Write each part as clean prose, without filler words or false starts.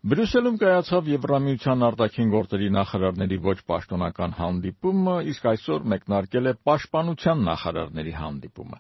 Բրյուսելում կայացավ Եվրամիության արտաքին գործերի նախարարների ոչ պաշտոնական հանդիպումը, իսկ այսօր մեկնարկել է պաշտպանության նախարարների հանդիպումը։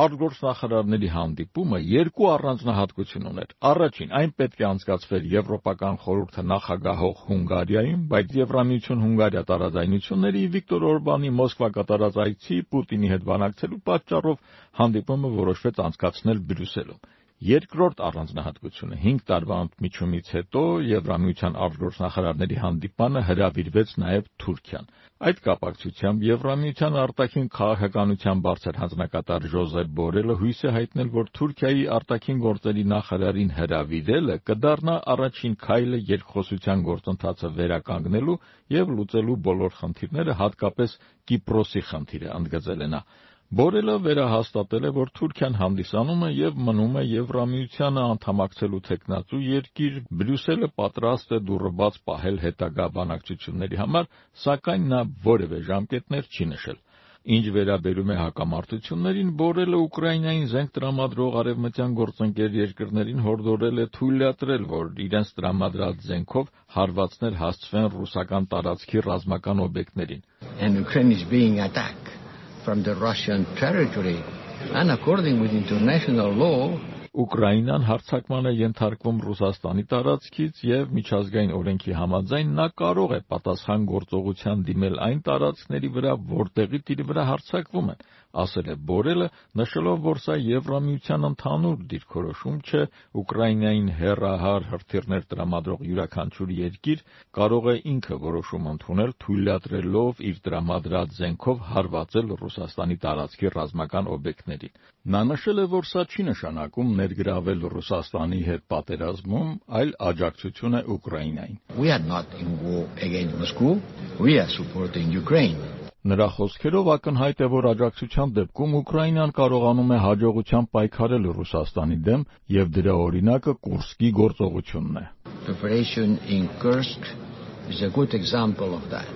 Արտգործնախարարների հանդիպումը երկու առանձնահատկություն ուներ։ Առաջին, այն պետք է անցկացվեր Եվրոպական խորհուրդը նախագահող Հունգարիայում, բայց Եվրամիություն-Հունգարիա տարաձայնությունների Վիկտոր Օրբանի Մոսկվա կատարած այցի Պուտինի հետ բանակցելու պատճառով հանդիպումը որոշվեց անցկացնել Բրյուսելում։ Երկրորդ առանձնահատկությունը 5 տարվա ընդմիջումից հետո Եվրամիության արտգործնախարարների հանդիպանը հրավիրվեց նաև Թուրքիան։ Այդ կապակցությամբ Եվրամիության արտաքին քաղաքականության բարձր հանձնակատար Ժոզեփ Բորելը հույս է հայտնել, որ Թուրքիայի արտաքին գործերի նախարարին հրավիրելը կդառնա առաջին քայլը երկխոսության գործընթացը վերականգնելու եւ լուծելու բոլոր խնդիրները, հատկապես Կիպրոսի խնդիրը, ընդգծել է նա։ Բորելը վերահաստատել է, որ Թուրքիան հանդիսանում է եւ մնում է Եվրամիությանը անդամակցելու թեկնածու երկիր, Բրյուսելը պատրաստ է դուռը բաց պահել հետագա բանակցությունների համար, սակայն նա որևէ ժամկետներ չի նշել։ Ինչ վերաբերում է հակամարտություններին, Բորելը Ուկրաինային զենք տրամադրող արևմտյան գործընկեր երկրներին հորդորել է թույլատրել, որ իրենց տրամադրած զենքով հարվածներ հասցվեն ռուսական տարածքի ռազմական օբյեկտներին։ And Ukraine is being attacked from the Russian territory, and according with international law, Ուկրաինան հարձակման է ենթարկվում Ռուսաստանի տարածքից եւ միջազգային օրենքի համաձայն նա կարող է պատասխան գործողության դիմել այն տարածքների վրա, որտեղից իր վրա հարձակվում են, ասել է Բորելը, նշելով, որ սա Եվրամիության ընդհանուր դիրքորոշում չէ, Ուկրաինային հեռահար հրթիռներ տրամադրող յուրաքանչյուր երկիր կարող է ինքը որոշում ընդունել, թույլատրելով իր տրամադրած զենքով հարվածել Ռուսաստանի տարածքի ռազմական օբյեկտներին։ Նա նշել է, որ սա չի նշանակում ներգրավել Ռուսաստանի հետ պատերազմում, այլ աջակցություն է Ուկրաինային։ We are not in war against Moscow, we are supporting Ukraine. Նրա խոսքերով ակնհայտ է, որ աջակցության դեպքում Ուկրաինան կարողանում է հաջողությամբ պայքարել Ռուսաստանի դեմ եւ դրա օրինակը Կուրսկի գործողությունն է։ Preparation in Kursk is a good example of that.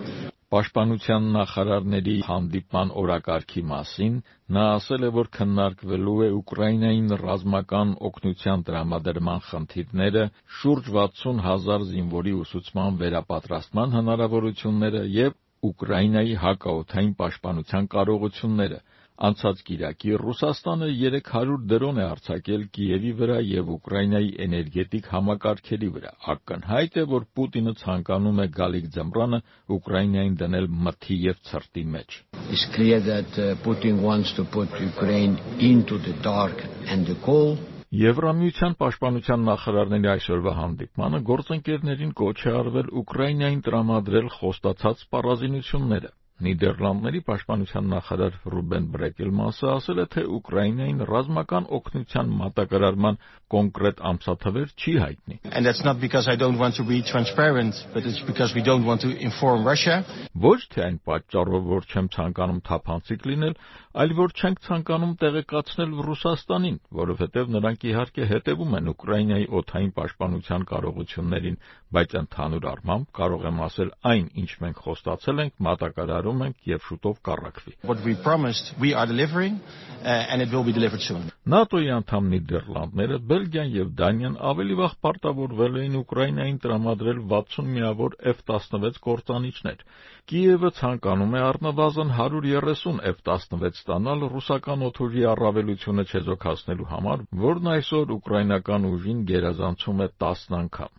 Պաշտպանության նախարարների հանդիպման օրակարգի մասին նա ասել է, որ քննարկվելու է Ուկրաինային ռազմական օգնության տրամադրման խնդիրները, շուրջ 60,000 զինվորի ուսուցման վերապատրաստման հնարավորությունները եւ Ուկրաինայի հակաօդային պաշտպանության կարողությունները։ Անցած կիրակի Ռուսաստանը 300 դրոն է արձակել Կիևի վրա եւ Ուկրաինայի էներգետիկ համակարգերի վրա։ Ակնհայտ է, որ Պուտինը ցանկանում է գալիք ձմռանը Ուկրաինային դնել մթի եւ ցրտի մեջ։ It's clear that Putin wants to put Ukraine into the dark and the cold. Եվրամիության պաշտպանության նախարարների այսօրվա հանդիպմանը գործընկերներին կոչ է արվել Ուկրաինային տրամադրել խոստացած սպառազինությունները։ Նիդերլանդների պաշտպանության նախարար Ռուբեն Բրեկելմասը ասել է, թե Ուկրաինային ռազմական օգնության մատակարարման կոնկրետ ամսաթվեր չի հայտնի։ And that's not because I don't want to be transparent, but it's because we don't want to inform Russia. Ոչ թե այն պատճառով, որ չեմ ցանկանում թափանցիկ լինել, այլ որ չենք ցանկանում տեղեկացնել Ռուսաստանին, որովհետև նրանք իհարկե հետևում են Ուկրաինայի օդային պաշտպանության կարողություններին, բայց ընդհանուր առմամբ կարող եմ ասել այն, ինչ մենք խոստացել ենք, մատակարարում ենք եւ շուտով կառաքվի։ What we promised, we are delivering, and it will be delivered soon. ՆԱՏՕ-ի անդամ Նիդերլանդները, Բելգիան եւ Դանիան ավելի վաղ պարտավորվել էին Ուկրաինային տրամադրել 60 միավոր F-16 կործանիչներ։ Կիևը ցանկանում է առնվազն 130 F-16 ստանալ ռուսական օդուժի առավելությունը չեզոքացնելու համար, որն այսօր ուկրաինական ուժին գերազանցում է 10 անգամ։